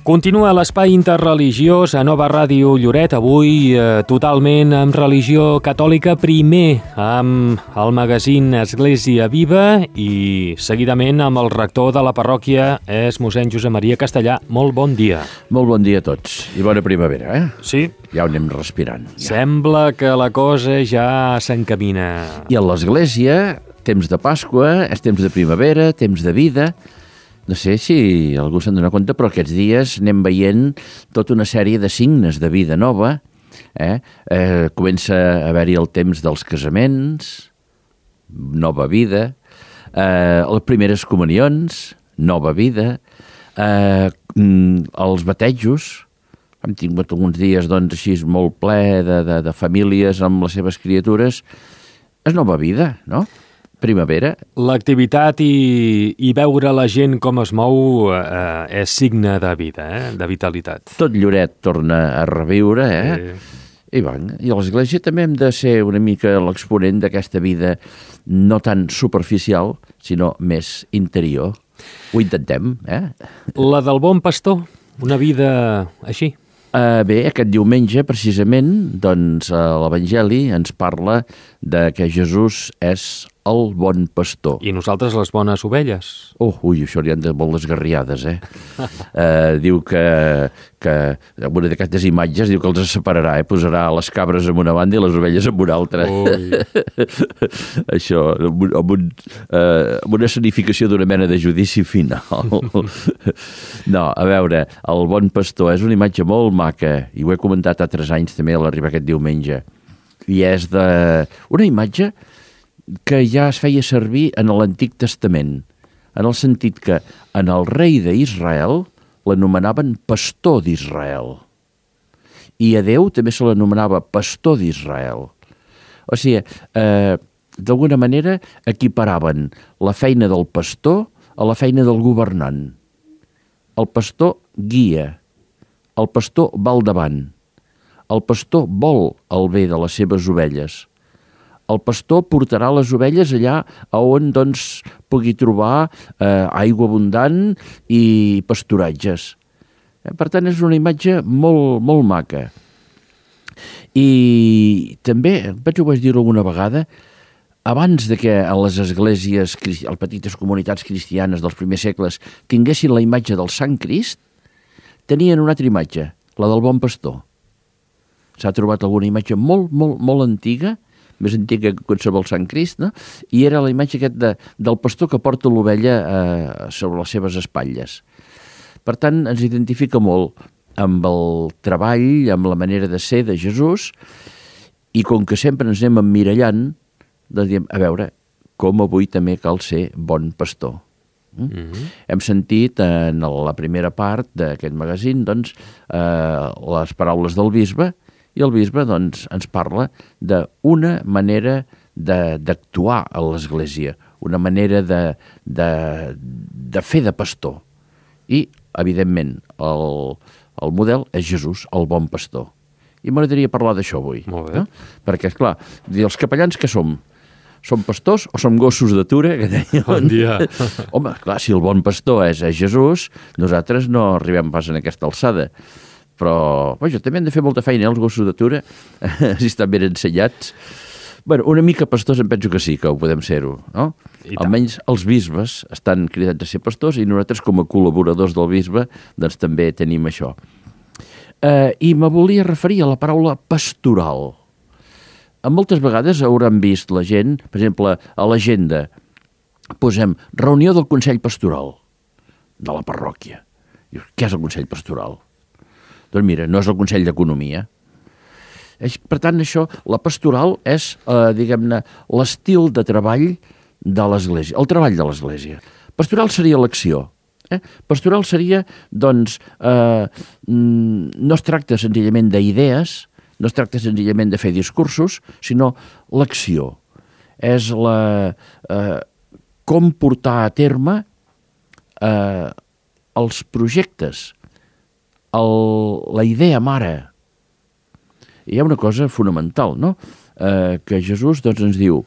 Continua l'espai interreligiós a Nova Ràdio Lloret, avui totalment amb religió catòlica, primer amb el magazín Església Viva i seguidament amb el rector de la parròquia, és mossèn Josep Maria Castellà. Molt bon dia. Molt bon dia a tots i bona primavera, eh? Sí. Ja ho anem respirant. Ja. Sembla que la cosa ja s'encamina. I a l'Església, temps de Pasqua, és temps de primavera, temps de vida. No sé si algú se'n dona compte, però aquests dies anem veient tota una sèrie de signes de vida nova. Comença a haver-hi el temps dels casaments, nova vida, les primeres comunions, nova vida, els batejos. Hem tingut alguns dies doncs, així molt ple de famílies amb les seves criatures. És nova vida, no? Primavera. L'activitat i veure la gent com es mou és signe de vida, de vitalitat. Tot Lloret torna a reviure, I a l'Església també hem de ser una mica l'exponent d'aquesta vida no tan superficial, sinó més interior. Ho intentem, La del bon pastor, una vida així. Bé, aquest diumenge, precisament, doncs, l'Evangeli ens parla de que Jesús és el bon pastor. I nosaltres les bones ovelles. Això li han de molt desgarriades, Diu que en una d'aquestes imatges diu que els separarà, Posarà les cabres en una banda i les ovelles en una altra. Això, amb una escenificació d'una mena de judici final. No, a veure, el bon pastor és una imatge molt maca, i ho he comentat altres anys també a l'arribar aquest diumenge, i és una imatge que ja es feia servir en l'Antic Testament, en el sentit que en el rei d'Israel l'anomenaven pastor d'Israel, i a Déu també se l'anomenava pastor d'Israel. O sigui, d'alguna manera equiparaven la feina del pastor a la feina del governant. El pastor guia, el pastor va al davant, el pastor vol el bé de les seves ovelles. El pastor portarà les ovelles allà on doncs, pugui trobar aigua abundant i pasturatges. Per tant, és una imatge molt, molt maca. I també, ho vaig dir alguna vegada, abans de que a les esglésies, a les petites comunitats cristianes dels primers segles tinguessin la imatge del Sant Crist, tenien una altra imatge, la del bon pastor. S'ha trobat alguna imatge molt, molt, molt antiga, més antiga que qualsevol Sant Crist, no? I era la imatge aquest del pastor que porta l'ovella sobre les seves espatlles. Per tant, ens identifica molt amb el treball, amb la manera de ser de Jesús, i com que sempre ens anem emmirallant, doncs diem, a veure, com avui també cal ser bon pastor. Hem sentit en la primera part d'aquest magazín doncs, les paraules del bisbe, i el bisbe doncs, ens parla d'una manera d'actuar a l'Església, una manera de fer de pastor. I, evidentment, el model és Jesús, el bon pastor. I m'agradaria parlar d'això avui. Molt bé. No? Perquè, esclar, els capellans què som? Som pastors o som gossos d'atura? Bon dia. Home, clar, si el bon pastor és Jesús, nosaltres no arribem pas en aquesta alçada. Però jo també hem de fer molta feina, els gossos d'atura, si estan ben ensenyats. Una mica pastors em penso que sí, que ho podem ser-ho, no? Almenys els bisbes estan cridats a ser pastors i nosaltres com a col·laboradors del bisbe doncs també tenim això. I me volia referir a la paraula pastoral. Moltes vegades hauran vist la gent, per exemple, a l'agenda, posem reunió del Consell Pastoral de la parròquia. Què és el Consell Pastoral? Doncs mira, no és el Consell d'Economia. Per tant, això, la pastoral és, diguem-ne, l'estil de treball de l'Església, el treball de l'Església. Pastoral seria l'acció. Pastoral seria, doncs, no es tracta senzillament d'idees, no es tracta senzillament de fer discursos, sinó l'acció. És com portar a terme els projectes, la idea mare. Hi ha una cosa fonamental, no? Que Jesús doncs, ens diu,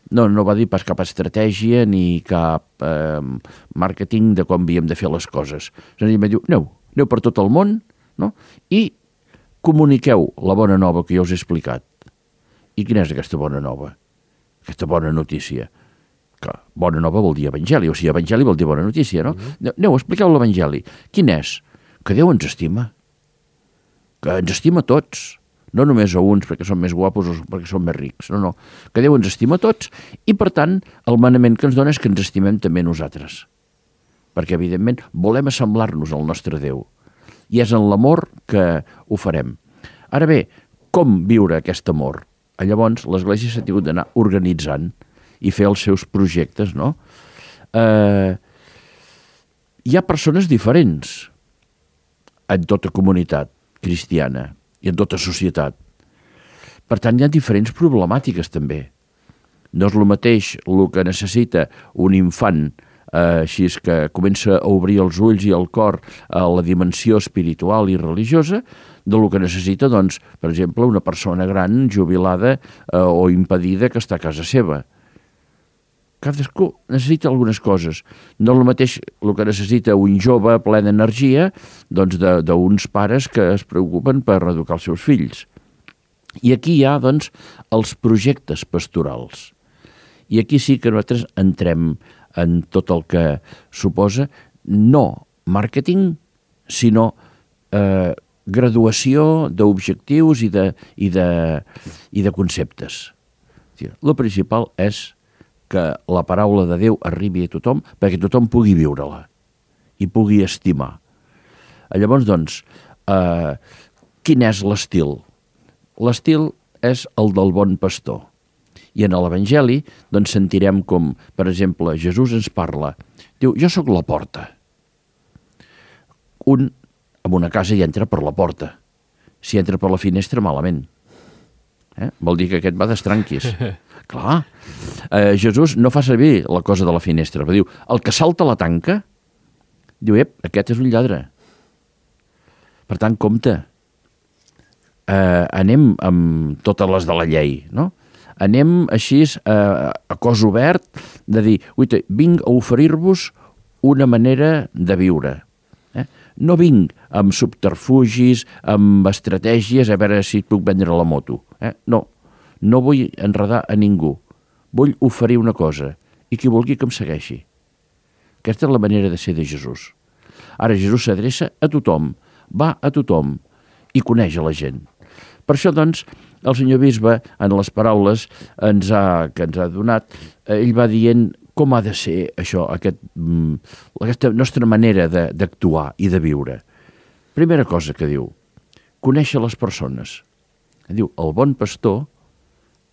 no va dir pas cap estratègia ni cap màrqueting de com havíem de fer les coses. Senzillament diu, aneu, aneu per tot el món, no? I comuniqueu la bona nova que jo us he explicat. I quina és aquesta bona nova? Aquesta bona notícia? Que bona nova vol dir evangeli, o sigui, evangeli vol dir bona notícia, no? Aneu, expliqueu l'evangeli. Quin és? Que Déu ens estima. Que ens estima a tots. No només a uns perquè són més guapos o perquè són més rics. No, no. Que Déu ens estima a tots i, per tant, el manament que ens dona és que ens estimem també nosaltres. Perquè, evidentment, volem assemblar-nos al nostre Déu. I és en l'amor que ho farem. Ara bé, com viure aquest amor? Llavors, l'Església s'ha tingut d'anar organitzant i fer els seus projectes, no? Hi ha persones diferents en tota comunitat cristiana i en tota societat. Per tant, hi ha diferents problemàtiques també. No és el mateix el que necessita un infant així és que comença a obrir els ulls i el cor a la dimensió espiritual i religiosa del que necessita, doncs, per exemple, una persona gran, jubilada o impedida que està a casa seva. Cadascú necessita algunes coses. No és el mateix el que necessita un jove ple d'energia doncs d'uns pares que es preocupen per educar els seus fills. I aquí hi ha, doncs, els projectes pastorals. I aquí sí que nosaltres entrem en tot el que suposa no màrqueting, sinó graduació d'objectius i de conceptes. El principal és que la paraula de Déu arribi a tothom perquè tothom pugui viure-la i pugui estimar. Llavors, doncs, quin és l'estil? L'estil és el del bon pastor. I en l'Evangeli doncs, sentirem com, per exemple, Jesús ens parla. Diu, jo sóc la porta. Un en una casa hi entra per la porta. Si entra per la finestra, malament. Vol dir que aquest va d'estranquis. Clar. Jesús no fa servir la cosa de la finestra, però diu, el que salta la tanca, diu, aquest és un lladre. Per tant, compte. Anem amb totes les de la llei, no? Anem així a cos obert de dir, vinc a oferir-vos una manera de viure. No vinc amb subterfugis, amb estratègies, a veure si puc vendre la moto. No vull enredar a ningú. Vull oferir una cosa i qui vulgui que em segueixi. Aquesta és la manera de ser de Jesús. Ara Jesús s'adreça a tothom, va a tothom i coneix a la gent. Per això, doncs, el senyor bisbe, en les paraules que ens ha donat, ell va dient com ha de ser això, aquesta nostra manera d'actuar i de viure. Primera cosa que diu, conèixer les persones. Diu, el bon pastor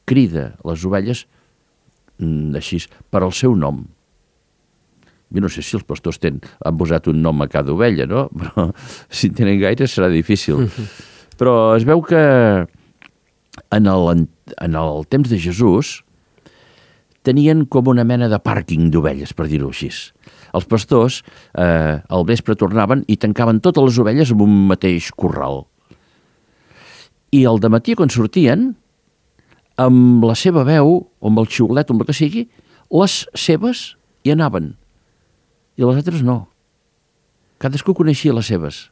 crida les ovelles així, per al seu nom. Jo no sé si els pastors han posat un nom a cada ovella, no? Però si en tenen gaire serà difícil. Però es veu que en el temps de Jesús tenien com una mena de pàrquing d'ovelles, per dir-ho així. Els pastors al vespre tornaven i tancaven totes les ovelles en un mateix corral. I al dematí, quan sortien, amb la seva veu, o amb el xiulet, o amb el que sigui, les seves hi anaven. I les altres no. Cadascú coneixia les seves.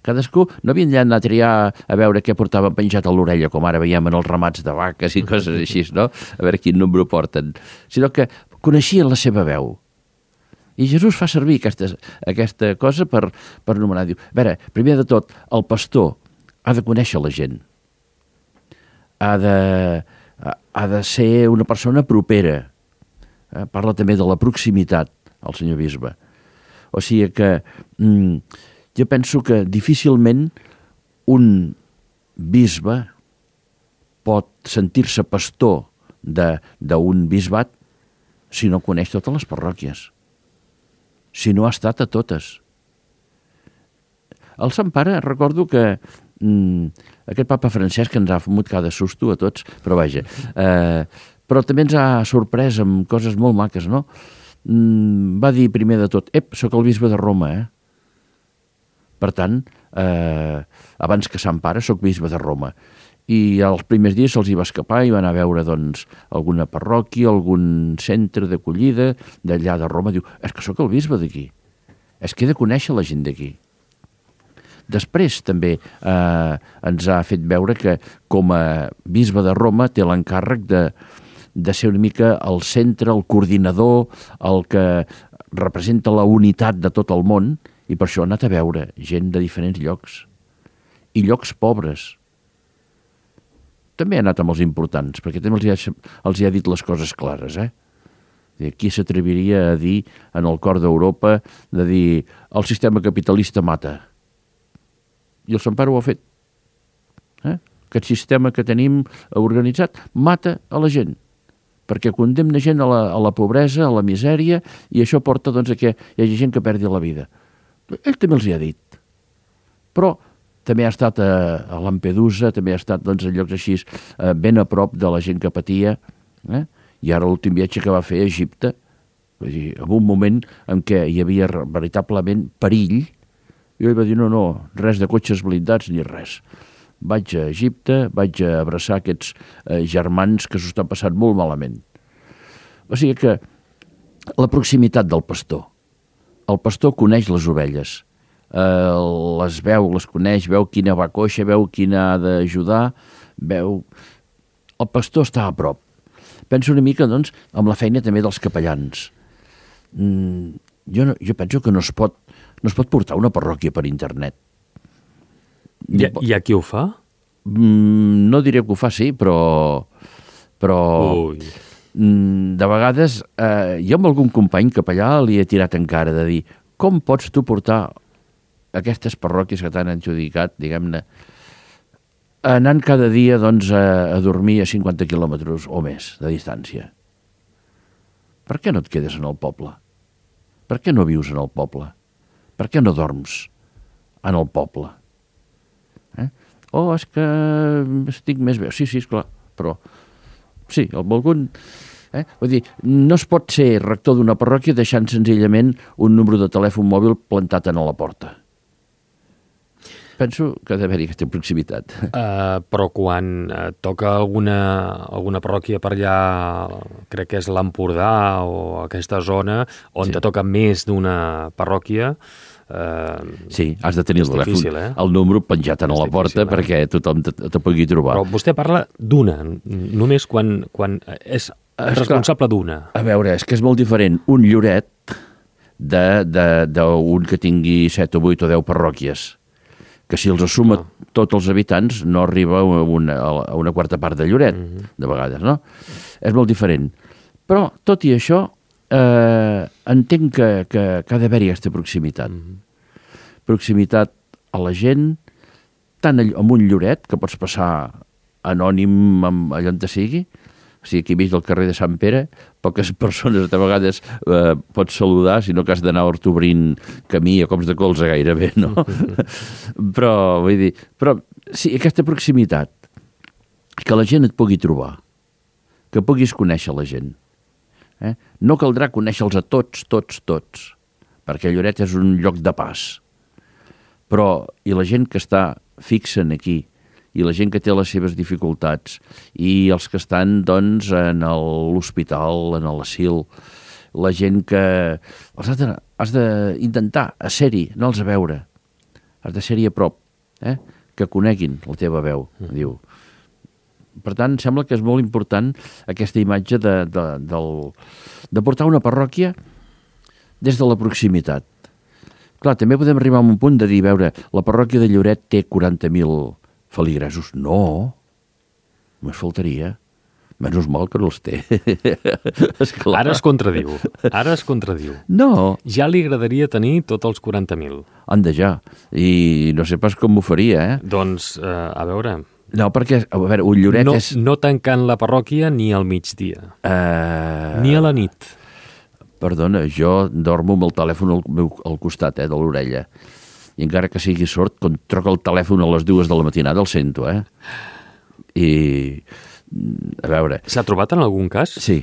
Cadascú no havien d'anar a triar a veure què portaven penjat a l'orella, com ara veiem en els ramats de vaques i coses així, no? A veure quin número porten. Sinó que coneixien la seva veu. I Jesús fa servir aquesta cosa per anomenar. Diu, a veure, primer de tot, el pastor ha de conèixer la gent. Ha de ser una persona propera. Parla també de la proximitat, el senyor bisbe. O sigui que jo penso que difícilment un bisbe pot sentir-se pastor d'un bisbat si no coneix totes les parròquies, si no ha estat a totes. El Sant Pare, recordo que aquest papa Francesc ens ha fumut cada susto a tots, però vaja, però també ens ha sorprès amb coses molt maques, no? Va dir primer de tot, sóc el bisbe de Roma, Per tant, abans que Sant Pare, sóc bisbe de Roma. I els primers dies se'ls hi va escapar i van anar a veure doncs, alguna parròquia, algun centre d'acollida d'allà de Roma. Diu, és que sóc el bisbe d'aquí. És que he de conèixer la gent d'aquí. Després també ens ha fet veure que com a bisbe de Roma té l'encàrrec de ser una mica el centre, el coordinador, el que representa la unitat de tot el món, i per això ha anat a veure gent de diferents llocs, i llocs pobres. També ha anat amb els importants, perquè també els hi ha dit les coses clares, Qui s'atreviria a dir en el cor d'Europa de dir el sistema capitalista mata? I el Sant Pare ho ha fet. Aquest sistema que tenim organitzat mata a la gent, perquè condemna gent a la pobresa, a la misèria, i això porta doncs, a que hi hagi gent que perdi la vida. Ell també els hi ha dit. Però també ha estat a Lampedusa, també ha estat doncs, a llocs així ben a prop de la gent que patia, i ara l'últim viatge que va fer a Egipte, vull dir, en un moment en què hi havia veritablement perill, i ell va dir, no, res de cotxes blindats ni res. Vaig a Egipte, vaig a abraçar aquests germans que s'ho estan passant molt malament. O sigui que la proximitat del pastor. El pastor coneix les ovelles, les veu, les coneix, veu quina va coixa, veu quina ha d'ajudar, veu... El pastor està a prop. Penso una mica, doncs, amb la feina també dels capellans. Jo penso que no es pot portar una parròquia per internet. Hi ha qui ho fa? No diré que ho fa, sí, però de vegades jo amb algun company capellà li he tirat en cara de dir com pots tu portar aquestes parròquies que t'han adjudicat, diguem-ne, anant cada dia doncs, a dormir a 50 quilòmetres o més de distància. Per què no et quedes en el poble? Per què no vius en el poble? Per què no dorms en el poble? És que estic més bé. Sí, esclar, però sí, algun... Vull dir, no es pot ser rector d'una parròquia deixant senzillament un número de telèfon mòbil plantat a la porta. Penso que ha d'haver-hi aquesta proximitat. Però quan toca alguna parròquia per allà, crec que és l'Empordà o aquesta zona, on te toca més d'una parròquia... Sí, has de tenir el número penjat a la porta perquè tothom te pugui trobar. Però vostè parla d'una, només quan és responsable d'una. A veure, és que és molt diferent un lloret d'un que tingui 7 o 8 o 10 parròquies, que si els suma tots els habitants no arriba a una quarta part de Lloret, de vegades, no? És molt diferent. Però, tot i això, entenc que ha d'haver-hi aquesta proximitat. Proximitat a la gent, tant amb un Lloret, que pots passar anònim allà on te sigui, o sigui, aquí mig del carrer de Sant Pere, poques persones de vegades pots saludar, sinó que has d'anar obrint camí a cops de colze gairebé, no? Però, vull dir, sí, aquesta proximitat, que la gent et pugui trobar, que puguis conèixer la gent. No caldrà conèixer-los a tots, perquè Lloret és un lloc de pas. Però, i la gent que està fixa aquí, i la gent que té les seves dificultats, i els que estan, doncs, en l'hospital, en l'asil, la gent que... Has d'intentar ser-hi, anar-los a veure. Has de ser-hi a prop, que coneguin la teva veu, diu. Per tant, sembla que és molt important aquesta imatge de portar una parròquia des de la proximitat. Clar, també podem arribar a un punt de dir, veure, la parròquia de Lloret té 40.000 feligresos. No, només faltaria. Menys mal que no els té. Ara es contradiu. No. Ja li agradaria tenir tots els 40.000. Anda ja. I no sé pas com ho faria, Doncs, a veure... No, perquè, a veure, un Lloret és... No tancant la parròquia ni al migdia. Ni a la nit. Perdona, jo dormo amb el telèfon al costat, de l'orella. I encara que sigui sord, quan troca el telèfon a les 2 de la matinada el sento, I, a veure... S'ha trobat en algun cas? Sí.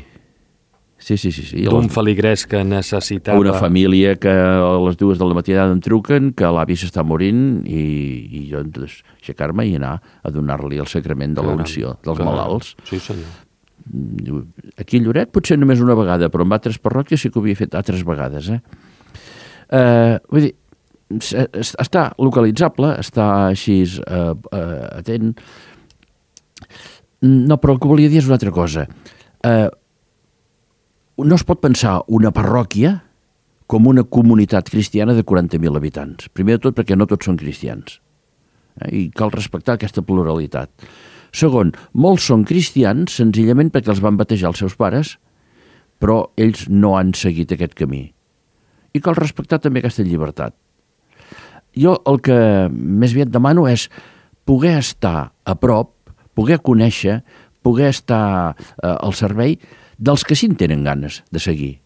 D'un feligrès que necessitava... Una família que a les 2 de la matinada em truquen, que l'avi s'està morint, i jo aixecar-me i anar a donar-li el sacrament de l'unció dels malalts. Sí, senyor. Aquí a Lloret potser només una vegada, però en altres parròquies sí que ho havia fet altres vegades, Vull dir, està localitzable, està així atent. No, però el que volia dir és una altra cosa. No es pot pensar una parròquia com una comunitat cristiana de 40.000 habitants. Primer de tot perquè no tots són cristians. I cal respectar aquesta pluralitat. Segon, molts són cristians senzillament perquè els van batejar els seus pares, però ells no han seguit aquest camí. I cal respectar també aquesta llibertat. Jo el que més aviat demano és poder estar a prop, poder conèixer, poder estar al servei dels que sí en tenen ganes de seguir.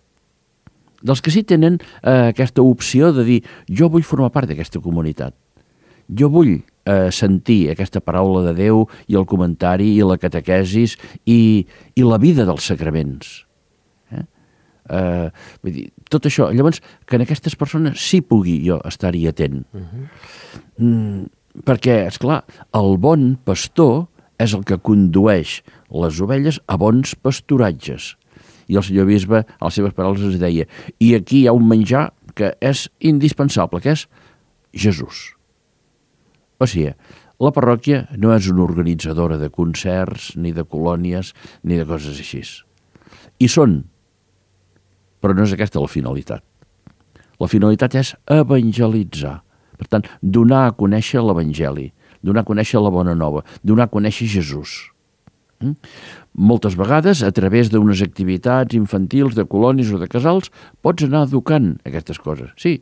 Dels que sí tenen aquesta opció de dir jo vull formar part d'aquesta comunitat. Jo vull sentir aquesta paraula de Déu i el comentari i la catequesis i la vida dels sacraments. Vull dir, tot això. Llavors, que en aquestes persones sí pugui jo estar-hi atent. Perquè, esclar, el bon pastor és el que condueix les ovelles a bons pasturatges. I el senyor bisbe, a les seves paraules, ens deia i aquí hi ha un menjar que és indispensable, que és Jesús. O sigui, la parròquia no és una organitzadora de concerts, ni de colònies, ni de coses així. I són, però no és aquesta la finalitat. La finalitat és evangelitzar. Per tant, donar a conèixer l'Evangeli, donar a conèixer la bona nova, donar a conèixer Jesús. Moltes vegades, a través d'unes activitats infantils, de colònies o de casals, pots anar educant aquestes coses. Sí,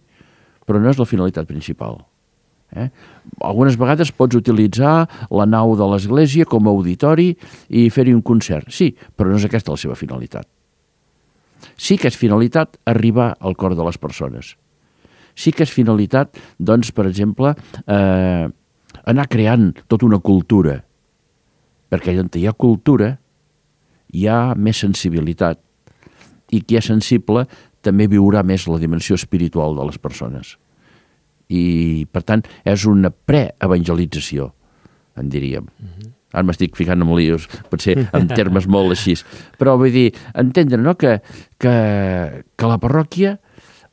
però no és la finalitat principal. Algunes vegades pots utilitzar la nau de l'església com a auditori i fer-hi un concert. Sí, però no és aquesta la seva finalitat. Sí que és finalitat arribar al cor de les persones. Sí que és finalitat, doncs, per exemple, anar creant tota una cultura. Perquè on hi ha cultura hi ha més sensibilitat. I qui és sensible també viurà més la dimensió espiritual de les persones. I, per tant, és una preevangelització, en diríem. Ara m'estic ficant en líos, potser en termes molt així. Però vull dir, entendre, no?, que la parròquia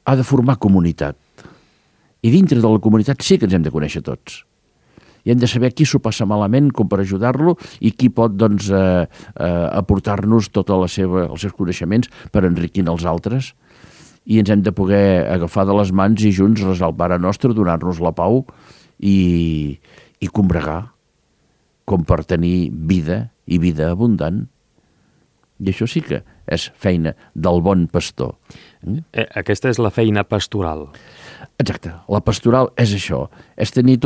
ha de formar comunitat. I dintre de la comunitat sí que ens hem de conèixer tots. I hem de saber qui s'ho passa malament com per ajudar-lo i qui pot, doncs, aportar-nos tots els seus coneixements per enriquir els altres. I ens hem de poder agafar de les mans i junts resar el Pare Nostre, donar-nos la pau i combregar com per tenir vida i vida abundant. I això sí que és feina del bon pastor. Aquesta és la feina pastoral. Exacte. La pastoral és això. És tenir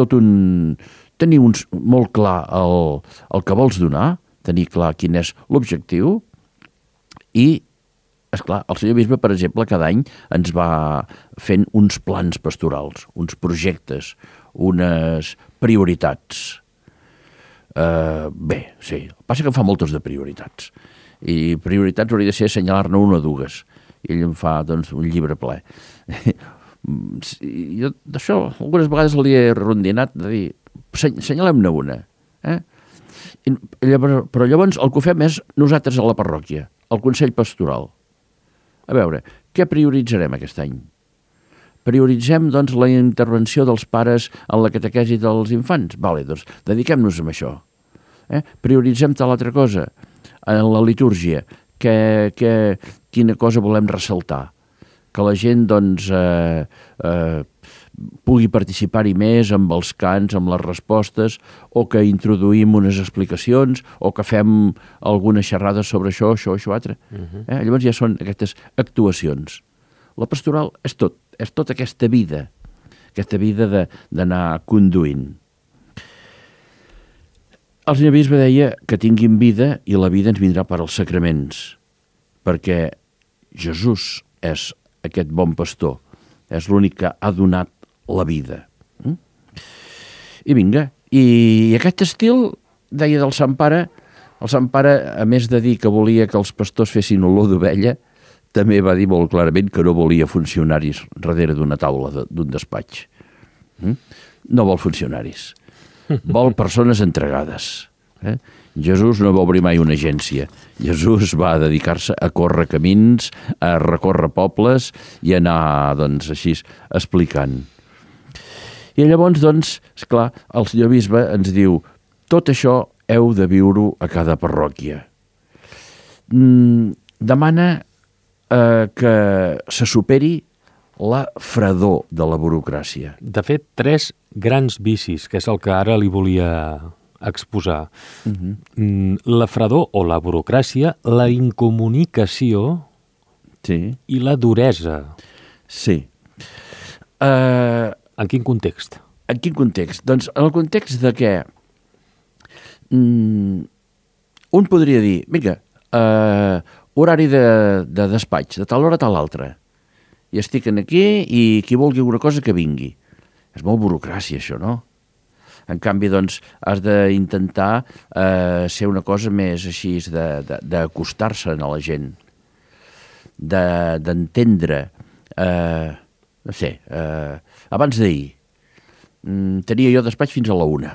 tenir molt clar el que vols donar, tenir clar quin és l'objectiu i esclar, el senyor bisbe, per exemple, cada any ens va fent uns plans pastorals, uns projectes, unes prioritats. Bé, sí, passa que em fa moltes de prioritats. I prioritats hauria de ser assenyalar-ne una o dues. I ell em fa, doncs, un llibre ple. Jo d'això algunes vegades li he rondinat de dir, assenyalem-ne una. Però llavors el que fem és nosaltres a la parròquia, al Consell Pastoral. A veure, què prioritzarem aquest any? Prioritzem, doncs, la intervenció dels pares en la catequesi dels infants? Vale, doncs, dediquem-nos a això. Prioritzem tal altra cosa. En la litúrgia, quina cosa volem ressaltar? Que la gent, doncs, pugui participar-hi més amb els cants, amb les respostes, o que introduïm unes explicacions, o que fem alguna xerrada sobre això, altre. Llavors ja són aquestes actuacions. La pastoral és tota aquesta vida d'anar conduint. El senyor bisbe deia que tinguin vida i la vida ens vindrà per als sacraments, perquè Jesús és aquest bon pastor, és l'únic que ha donat la vida. I vinga, i aquest estil, deia del Sant Pare, el Sant Pare, a més de dir que volia que els pastors fessin olor d'ovella, també va dir molt clarament que no volia funcionaris darrere d'una taula d'un despatx. No vol funcionaris, vol persones entregades. Jesús no va obrir mai una agència. Jesús va dedicar-se a córrer camins, a recórrer pobles i anar, doncs, així, explicant. I llavors, doncs, esclar, el senyor bisbe ens diu tot això heu de viure-ho a cada parròquia. Demana que se superi la fredor de la burocràcia. De fet, 3 grans vicis, que és el que ara li volia exposar. La fredor o la burocràcia, la incomunicació i la duresa. Sí. En quin context? En quin context? Doncs en el context de que un podria dir, vinga, horari de despatx, de tal hora a tal altra, i estic aquí i qui vulgui alguna cosa que vingui. És molt burocràcia, això, no? En canvi, doncs, has d'intentar ser una cosa més així, d'acostar-se a la gent, d'entendre, no sé, abans d'ahir tenia jo despatx fins a la 1.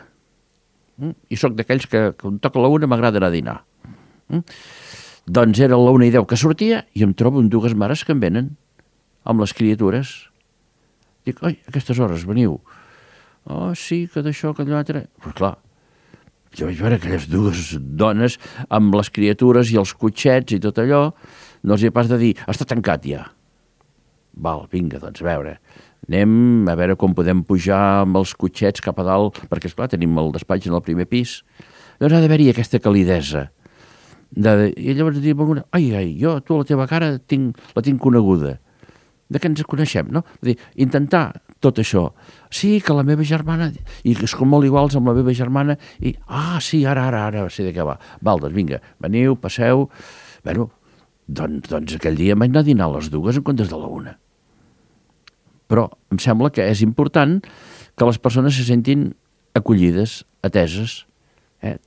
I sóc d'aquells que quan toca la 1 m'agrada anar a dinar. Doncs era la 1:10 que sortia i em trobo amb 2 mares que em venen amb les criatures. Dic, oi, a aquestes hores veniu? Oh, sí, que d'això, que d'allò... Però clar, jo vaig veure aquelles 2 dones amb les criatures i els cotxets i tot allò, no els hi ha pas de dir, està tancat ja. Val, vinga, doncs a veure, anem a veure com podem pujar amb els cotxets cap a dalt, perquè esclar, tenim el despatx en el primer pis. Doncs ha d'haver-hi aquesta calidesa. I llavors dir, ai, jo, tu, la teva cara la tinc coneguda. De què ens coneixem, no? Vull dir, intentar tot això. Sí, que la meva germana... I és com molt iguals amb la meva germana. I, sí, ara sé de què va. Val, doncs vinga, veniu, passeu... Bueno, doncs aquell dia vaig anar a dinar a les 2 en comptes de la 1. Però em sembla que és important que les persones se sentin acollides, ateses,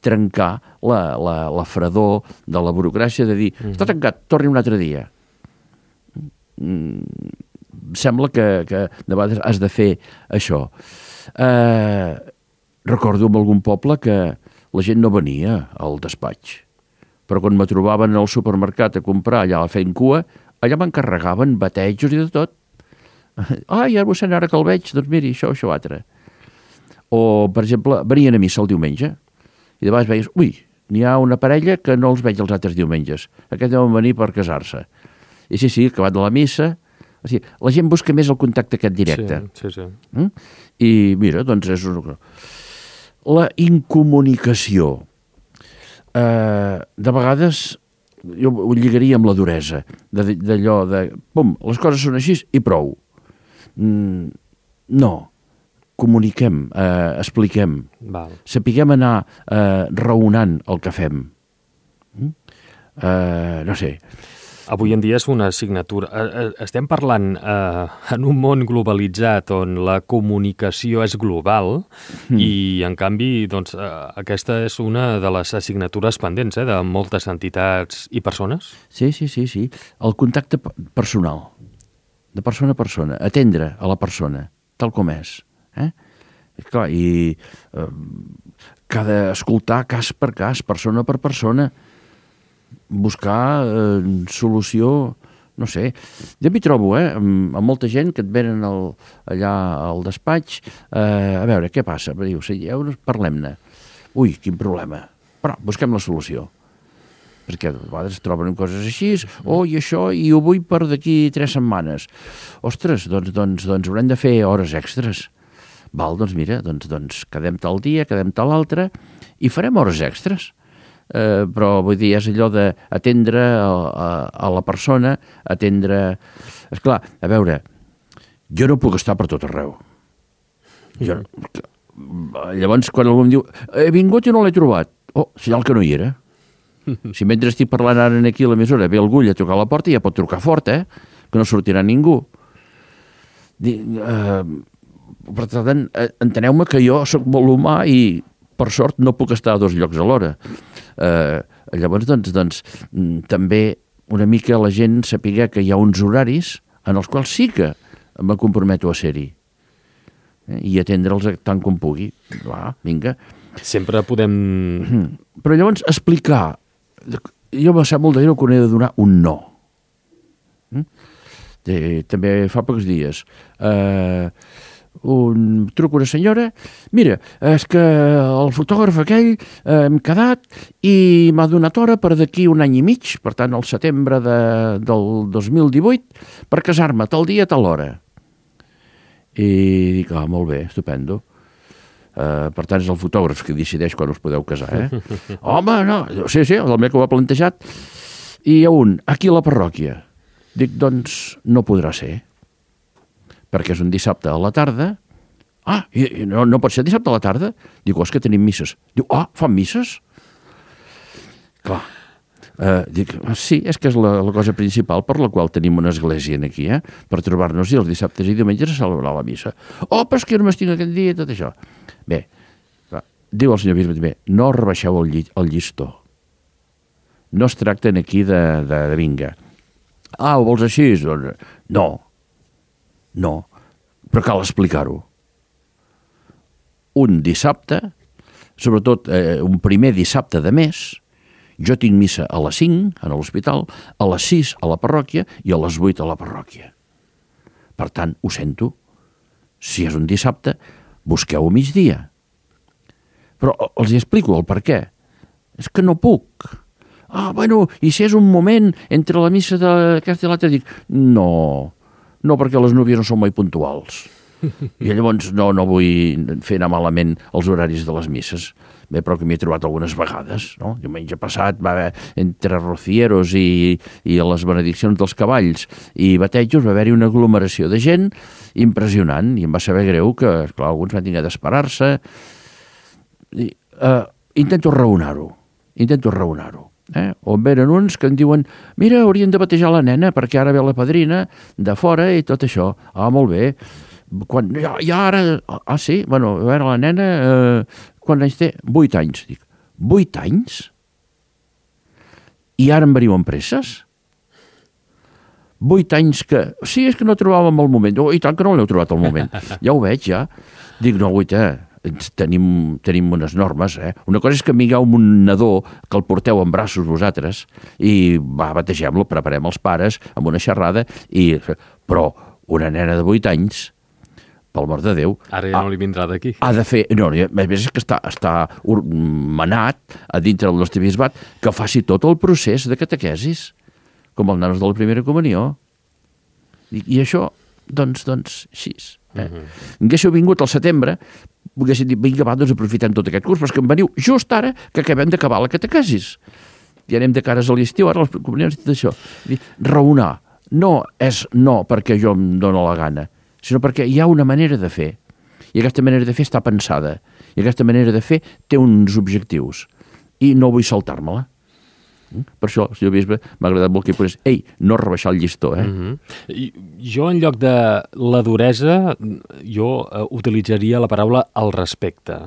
trencar la fredor de la burocràcia de dir, està tancat, torni un altre dia. Sembla que de vegades has de fer això. Recordo en algun poble que la gent no venia al despatx, però quan me trobaven al supermercat a comprar allà fent cua, allà m'encarregaven batejos i de tot. Ja mossèn, ara que el veig, doncs miri, això altre. O, per exemple, venien a missa el diumenge i de vegades veies, n'hi ha una parella que no els veig els altres diumenges. Aquests deuen venir per casar-se. I sí, acabat de la missa, o sigui, la gent busca més el contacte aquest directe. Sí. I mira, doncs és la incomunicació. De vegades jo ho lligaria amb la duresa, d'allò de, les coses són així i prou. No, comuniquem, expliquem, sapiguem anar raonant el que fem. No sé. Avui en dia és una assignatura. Estem parlant en un món globalitzat on la comunicació és global i, en canvi, doncs, aquesta és una de les assignatures pendents de moltes entitats i persones. Sí. El contacte personal, de persona a persona, atendre a la persona, tal com és. Clar, i escoltar cas per cas, persona per persona, buscar solució, no sé. Jo m'hi trobo, amb molta gent que et venen allà al despatx, a veure, què passa? Diu, parlem-ne. Ui, quin problema. Però busquem la solució. Perquè a vegades troben coses així, i això, i ho vull per d'aquí 3 setmanes. Ostres, doncs haurem de fer hores extres. Val, doncs mira, doncs quedem tal dia, quedem tal altre, i farem hores extres. Però vull dir, és allò d'atendre a la persona, atendre... Esclar, a veure, jo no puc estar per tot arreu. Llavors, quan algú em diu he vingut i no l'he trobat, senyal que no hi era. Si mentre estic parlant ara aquí a l'emissora ve algú a trucar a la porta, ja pot trucar fort, que no sortirà ningú. Per tant, enteneu-me que jo sóc molt humà i per sort no puc estar a 2 llocs alhora. Llavors, doncs, també una mica la gent sapigué que hi ha uns horaris en els quals sí que me comprometo a ser-hi i atendre'ls tant com pugui. Va, vinga. Sempre podem... Però llavors explicar... Jo me sap molt de greu quan he de donar un no. També fa pocs dies... truco una senyora, mira, és que el fotògraf aquell hem quedat i m'ha donat hora per d'aquí un any i mig, per tant, al setembre del 2018, per casar-me tal dia, tal hora. I dic, molt bé, estupendo. Per tant, és el fotògraf que decideix quan us podeu casar, Home, no, sí, el meu que ho ha plantejat. I hi ha aquí a la parròquia. Dic, doncs, no podrà ser. Perquè és un dissabte a la tarda. No pot ser dissabte a la tarda? Dic, és que tenim misses. Diu, fan misses? Clar. Dic, sí, és que és la cosa principal per la qual tenim una església aquí, per trobar-nos els dissabtes i diumenges a celebrar la missa. Però és que jo només tinc aquest dia i tot això. Bé, diu el senyor bisbe també, no rebaixeu el llistó. No es tracten aquí de vinga. Ho vols així? No, però cal explicar-ho. Un dissabte, sobretot un primer dissabte de mes, jo tinc missa a les 5 a l'hospital, a les 6 a la parròquia i a les 8 a la parròquia. Per tant, ho sento. Si és un dissabte, busqueu a migdia. Però els explico el per què. És que no puc. I si és un moment entre la missa d'aquesta i l'altra, dic, no, perquè les núvies no són mai puntuals. I llavors no vull fer anar malament els horaris de les misses. Bé, però que m'hi he trobat algunes vegades, no? Diumenge passat va haver, entre rocieros i les benediccions dels cavalls i batejos, va haver-hi una aglomeració de gent impressionant i em va saber greu que, esclar, alguns van haver d'esperar-se. Intento raonar-ho. On venen uns que em diuen, mira, haurien de batejar la nena perquè ara ve la padrina de fora i tot això. Molt bé. Sí? Bueno, a veure, la nena, quants anys té? 8 anys. Dic, 8 anys? I ara em veniu amb presses? 8 anys que... Sí, és que no trobàvem el moment. I tant que no l'heu trobat el moment. Ja ho veig, ja. Dic, no, tenim unes normes, Una cosa és que vingueu amb un nadó que el porteu en braços vosaltres i bategem-lo, preparem els pares amb una xerrada, però una nena de 8 anys, pel amor de Déu... Ara ja no li vindrà d'aquí. Ha de fer... No, a més és que està manat a dintre del nostre bisbat que faci tot el procés de catequesis, com els nanos de la primera comunió. I això, doncs, així. Haguéssiu vingut al setembre, haguéssim dit, vinga, doncs aprofitem tot aquest curs, però és que em veniu just ara que acabem d'acabar la catequesis. Ja anem de cares a l'estiu, ara les comunions i tot això. Raonar no és no perquè jo em dono la gana, sinó perquè hi ha una manera de fer. I aquesta manera de fer està pensada. I aquesta manera de fer té uns objectius. I no vull saltar-me-la. Per això, senyor bisbe, m'ha agradat molt que hi posés no rebaixar el llistó. Jo, en lloc de la duresa, jo utilitzaria la paraula el respecte,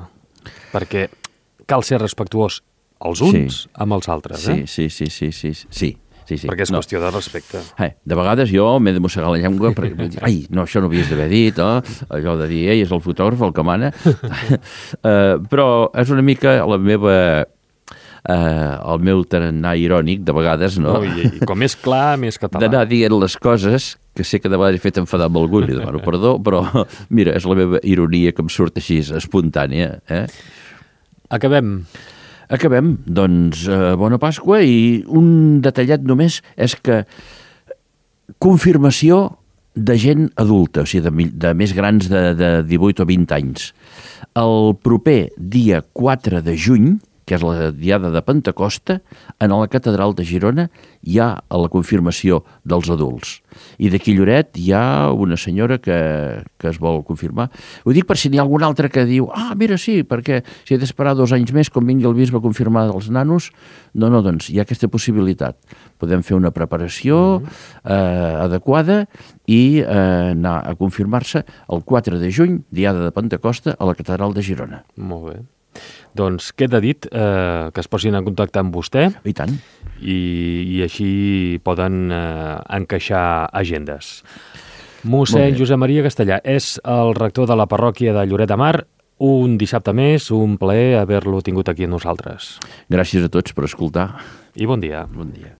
perquè cal ser respectuós els uns amb els altres. Sí. Perquè és qüestió de respecte. De vegades jo m'he de mossegar la llengua perquè això no havies d'haver dit, allò de dir, és el fotògraf el que mana. Però és una mica la meva... el meu tarannà irònic, de vegades, no? I com més clar, més català. D'anar dient les coses, que sé que de vegades he fet enfadar amb algú, li demano perdó, però, mira, és la meva ironia que em surt així, espontània. Acabem, doncs, bona Pasqua, i un detallet només és que confirmació de gent adulta, o sigui, de més grans de 18 o 20 anys. El proper dia 4 de juny, que és la diada de Pentecosta, en la catedral de Girona hi ha la confirmació dels adults. I d'aquí Lloret hi ha una senyora que es vol confirmar. Ho dic per si n'hi ha algun altre que diu mira, sí, perquè si he d'esperar 2 anys més quan vingui el bisbe a confirmar els nanos. No, doncs hi ha aquesta possibilitat. Podem fer una preparació adequada i anar a confirmar-se el 4 de juny, diada de Pentecosta, a la catedral de Girona. Molt bé. Doncs queda dit que es posin en contacte amb vostè. I tant. I així poden encaixar agendes. Mossèn Josep Maria Castellà és el rector de la parròquia de Lloret de Mar. Un dissabte més, un plaer haver-lo tingut aquí amb nosaltres. Gràcies a tots per escoltar. I bon dia. Bon dia.